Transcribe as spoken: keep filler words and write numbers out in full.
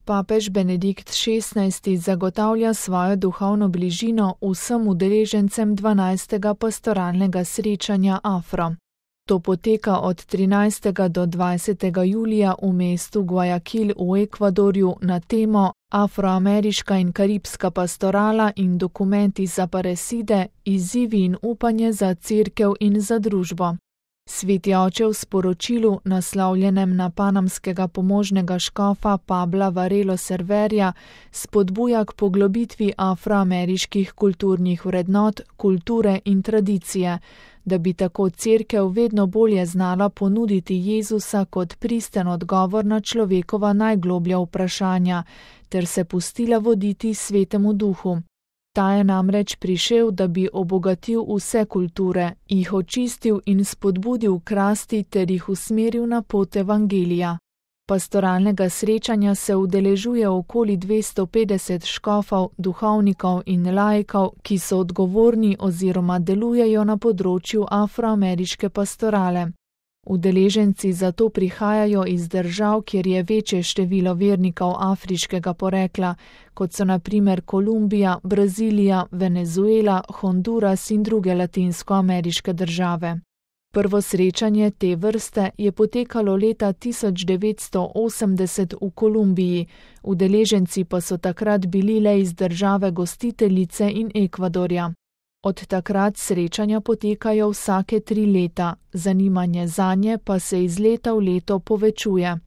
Papež Benedikt šestnajsti zagotavlja svojo duhovno bližino vsem udeležencem dvanajstega pastoralnega srečanja Afro. To poteka od trinajstega do dvajsetega julija v mestu Guayaquil v Ekvadorju na temo Afroameriška in karibska pastorala in dokumenti za pareside, izzivi in upanje za cerkev in za družbo. Sveti oče v sporočilu, naslovljenem na panamskega pomožnega škofa Pabla Varelo Serverja, spodbuja k poglobitvi afroameriških kulturnih vrednot, kulture in tradicije, da bi tako cerkev vedno bolje znala ponuditi Jezusa kot pristen odgovor na človekova najgloblja vprašanja, ter se pustila voditi Svetemu Duhu. Ta je namreč prišel, da bi obogatil vse kulture, jih očistil in spodbudil k rasti ter jih usmeril na pot evangelija. Pastoralnega srečanja se udeležuje okoli dvesto petdeset škofov, duhovnikov in laikov, ki so odgovorni oziroma delujejo na področju afroameriške pastorale. Udeleženci zato prihajajo iz držav, kjer je večje število vernikov afriškega porekla, kot so na primer Kolumbija, Brazilija, Venezuela, Honduras in druge latinskoameriške države. Prvo srečanje te vrste je potekalo leta tisoč devetsto osemdeset v Kolumbiji, udeleženci pa so takrat bili le iz države gostiteljice in Ekvadorja. Od takrat srečanja potekajo vsake tri leta, zanimanje zanje pa se iz leta v leto povečuje.